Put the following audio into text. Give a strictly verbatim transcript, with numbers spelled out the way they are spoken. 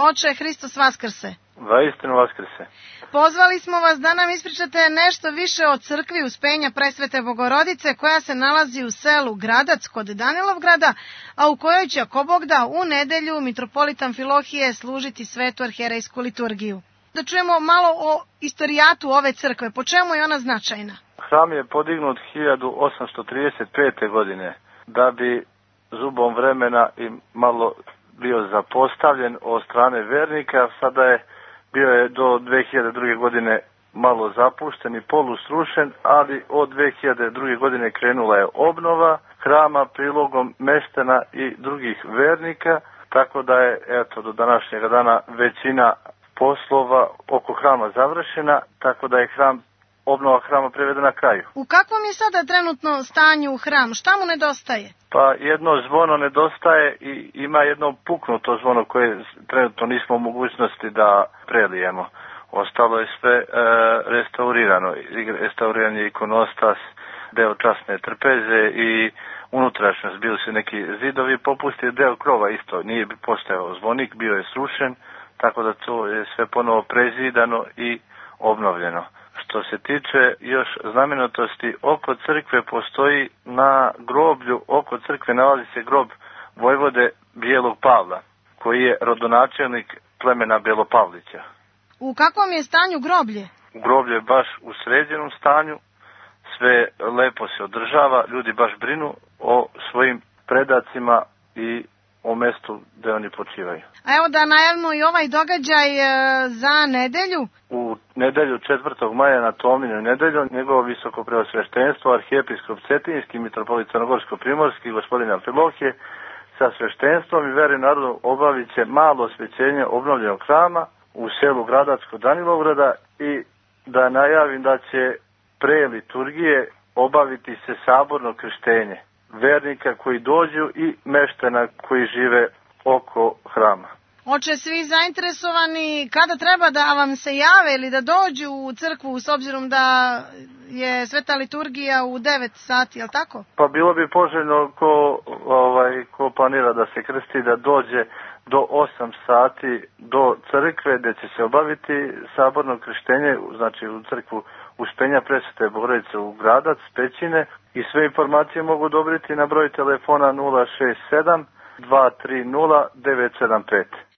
Oče, Hristos vaskrse. Vaistinu vaskrse. Pozvali smo vas da nam ispričate nešto više o crkvi Uspenja Presvete Bogorodice koja se nalazi u selu Gradac kod Danilovgrada, a u kojoj će, ako Bog da, u nedelju mitropolit Amfilohije služiti svetu arhijerejsku liturgiju. Da čujemo malo o istorijatu ove crkve, po čemu je ona značajna? Hram je podignut hiljadu osamsto trideset pete. godine, da bi zubom vremena i malo bio zapostavljen od strane vernika. Sada je bio je do dve hiljade druge. godine malo zapušten i polusrušen, ali od dve hiljade druge. godine krenula je obnova hrama prilogom meštana i drugih vernika, tako da je eto do današnjeg dana većina poslova oko hrama završena, tako da je hram obnova hrama privedena kraju. U kakvom je sada trenutno stanju hram? Šta mu nedostaje? Pa jedno zvono nedostaje i ima jedno puknuto zvono koje trenutno nismo u mogućnosti da prelijemo. Ostalo je sve e, restaurirano. Restauriran je ikonostas, deo časne trpeze i unutrašnjost. Bili su neki zidovi popustili, deo krova isto. Nije bi postojao zvonik, bio je srušen, tako da to je sve ponovo prezidano i obnovljeno. Što se tiče još znamenitosti, oko crkve postoji na groblju, oko crkve nalazi se grob vojvode Bijelog Pavla, koji je rodonačelnik plemena Belopavlića. U kakvom je stanju groblje? Groblje je baš u sređenom stanju, sve lepo se održava, ljudi baš brinu o svojim predacima i o mestu gde oni počivaju. A evo da najavimo i ovaj događaj e, za nedelju. U nedelju četvrtog maja na Tomlinu nedelju njegovo visoko preosveštenstvo arhijepiskop Cetinjski, mitropolit Crnogorsko-primorski, gospodin Amfilohije sa sveštenstvom i veri narodu obavit će malo osvećenje obnovljenog hrama u selu Gradac kod Danilovgrada i da najavim da će pre liturgije obaviti se saborno krštenje vernika koji dođu i meštana koji žive oko hrama. Oče, svi zainteresovani, kada treba da vam se jave ili da dođu u crkvu s obzirom da je sveta liturgija u devet sati, je li tako? Pa bilo bi poželjno ko, ovaj, ko planira da se krsti da dođe do osam sati do crkve gde će se obaviti saborno krštenje, znači u crkvu Uspenja Presvete Bogorodice u Gradac, Pećine, i sve informacije mogu dobiti na broj telefona nula šest sedam dva tri nula devet sedam pet.